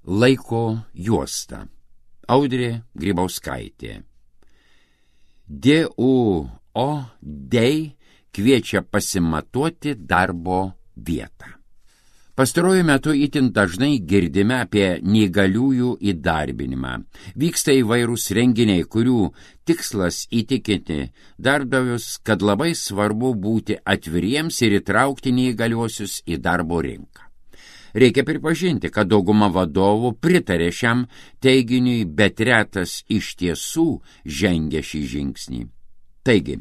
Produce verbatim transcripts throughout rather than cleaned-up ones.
Laiko juosta. Audrė Grybauskaitė. D U O Day kviečia pasimatuoti darbo vietą. Pastaruoju metu itin dažnai girdime apie neįgaliųjų įdarbinimą. Vyksta įvairūs renginiai, kurių tikslas įtikinti darbdavius, kad labai svarbu būti atviriems ir įtraukti neįgaliuosius į darbo rinką. Reikia pripažinti, kad dauguma vadovų pritarė šiam teiginiui, bet retas iš tiesų žengia šį žingsnį. Taigi,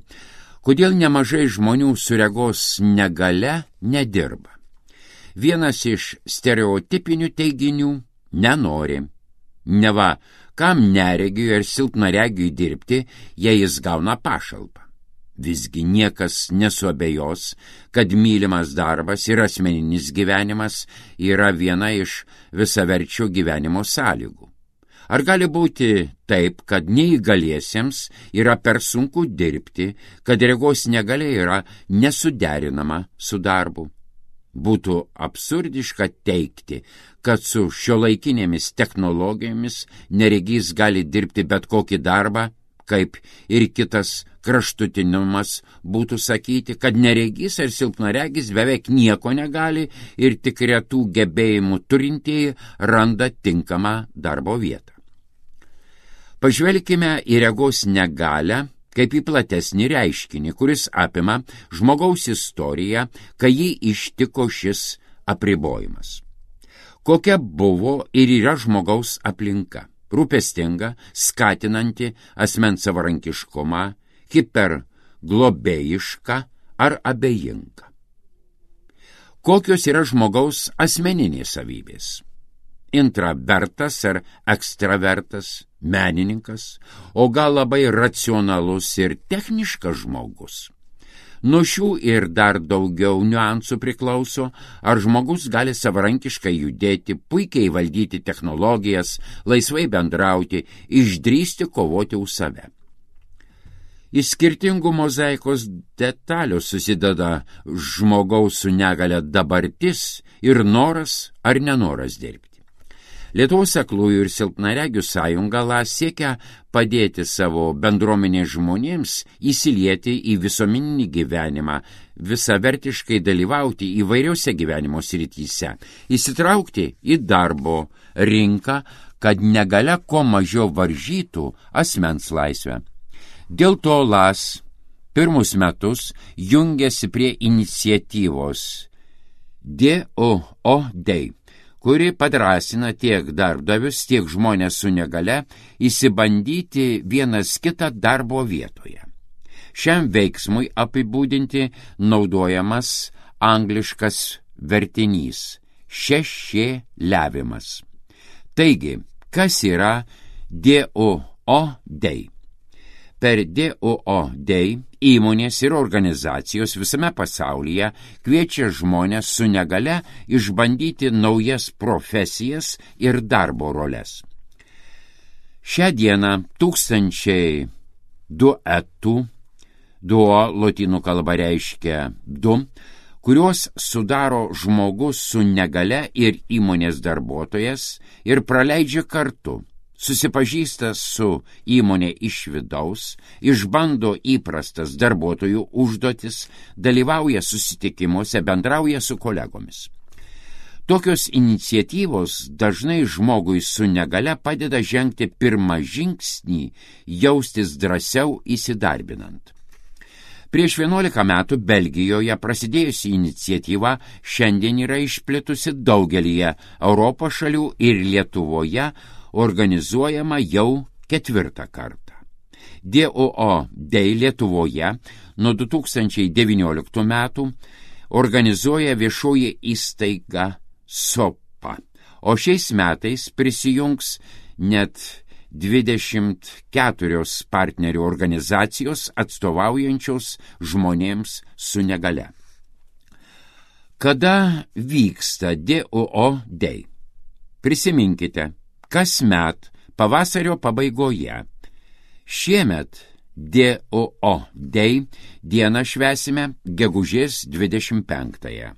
kodėl nemažai žmonių su regos negalia nedirba? Vienas iš stereotipinių teiginių – nenori. Neva, kam neregiui ir silpnaregiui dirbti, jei jis gauna pašalpą. Visgi niekas nesuabejos, kad mylimas darbas ir asmeninis gyvenimas yra viena iš visaverčio gyvenimo sąlygų. Ar gali būti taip, kad neįgaliesiems yra per sunku dirbti, kad regos negalia yra nesuderinama su darbu? Būtų absurdiška teigti, kad su šiuolaikinėmis technologijomis neregys gali dirbti bet kokį darbą, kaip ir kitas kraštutinumas būtų sakyti, kad neregys ar silpnaregis beveik nieko negali ir tik retų gebėjimų turintieji randa tinkamą darbo vietą. Pažvelkime į regos negalią kaip į platesnį reiškinį, kuris apima žmogaus istoriją, kai jį ištiko šis apribojimas. Kokia buvo ir yra žmogaus aplinka? Rūpestinga, skatinanti asmens savarankiškumą, hiperglobėjiška ar abejinga? Kokios yra žmogaus asmeninės savybės? Intravertas ar ekstravertas, menininkas, o gal labai racionalus ir techniškas žmogus. Nuo šių ir dar daugiau niuansų priklauso, ar žmogus gali savarankiškai judėti, puikiai valdyti technologijas, laisvai bendrauti, išdrįsti kovoti už save. Iš skirtingų mozaikos detalių susideda žmogaus su negalia dabartis ir noras ar nenoras dirbti. Lietuvos aklųjų ir silpnaregių sąjunga LAS siekia padėti savo bendruomenės žmonėms įsilieti į visuomeninį gyvenimą, visavertiškai dalyvauti įvairiose gyvenimo srityse, įsitraukti į darbo rinką, kad negalia kuo mažiau varžytų asmens laisvę. Dėl to LAS pirmus metus jungiasi prie iniciatyvos D U O Day, kuri padrąsina tiek darbdavius, tiek žmonės su negale įsibandyti vienas kitą darbo vietoje. Šiam veiksmui apibūdinti naudojamas angliškas vertinys – šešėliavimas. Taigi, kas yra D U O Day? Per D U O Day įmonės ir organizacijos visame pasaulyje kviečia žmonės su negale išbandyti naujas profesijas ir darbo roles. Šią dieną tūkstančiai duetų, duo lotynų kalba reiškia du, kuriuos sudaro žmogus su negale ir įmonės darbuotojas ir praleidžia kartu. Susipažįsta su įmonė iš vidaus, išbando įprastas darbuotojų užduotis, dalyvauja susitikimuose, bendrauja su kolegomis. Tokios iniciatyvos dažnai žmogui su negale padeda žengti pirmą žingsnį, jaustis drąsiau įsidarbinant. Prieš vienuolika metų Belgijoje prasidėjusi iniciatyva šiandien yra išplitusi daugelyje Europos šalių ir Lietuvoje organizuojama jau ketvirtą kartą. D U O Day Lietuvoje nuo du tūkstančiai devynioliktų metų organizuoja viešoji įstaiga SOPA, o šiais metais prisijungs net dvidešimt keturios partnerių organizacijos atstovaujančios žmonėms su negale. Kada vyksta D U O Day? Prisiminkite, kasmet pavasario pabaigoje. Šiemet D U O Day dieną švęsime gegužės dvidešimt penktąją.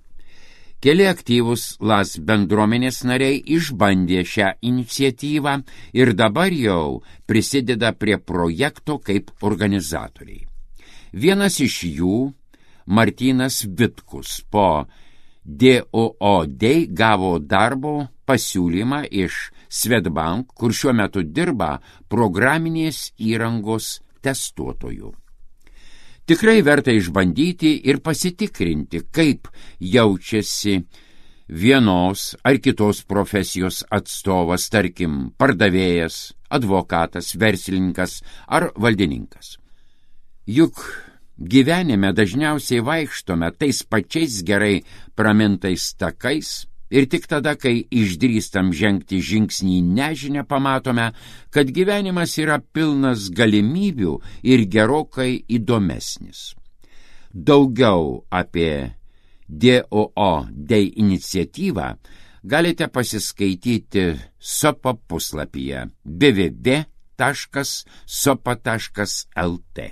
Keli aktyvūs Las bendruomenės nariai išbandė šią iniciatyvą ir dabar jau prisideda prie projekto kaip organizatoriai. Vienas iš jų, Martynas Vitkus, po D O O Day gavo darbo pasiūlymą iš Swedbank, kur šiuo metu dirba programinės įrangos testuotojų. Tikrai verta išbandyti ir pasitikrinti, kaip jaučiasi vienos ar kitos profesijos atstovas, tarkim, pardavėjas, advokatas, verslininkas ar valdininkas. Juk gyvenime dažniausiai vaikštome tais pačiais gerai pramintais takais ir tik tada, kai išdrįstam žengti žingsnį į nežinią, pamatome, kad gyvenimas yra pilnas galimybių ir gerokai įdomesnis. Daugiau apie D O O Day iniciatyvą galite pasiskaityti sopa puslapyje w w w taškas sopa taškas l t.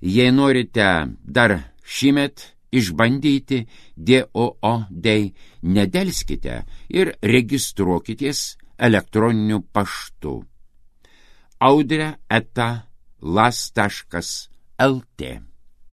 Jei norite dar šįmet išbandyti D O O Day, nedelskite ir registruokitės elektroniniu paštu audrė eta las taškas l t.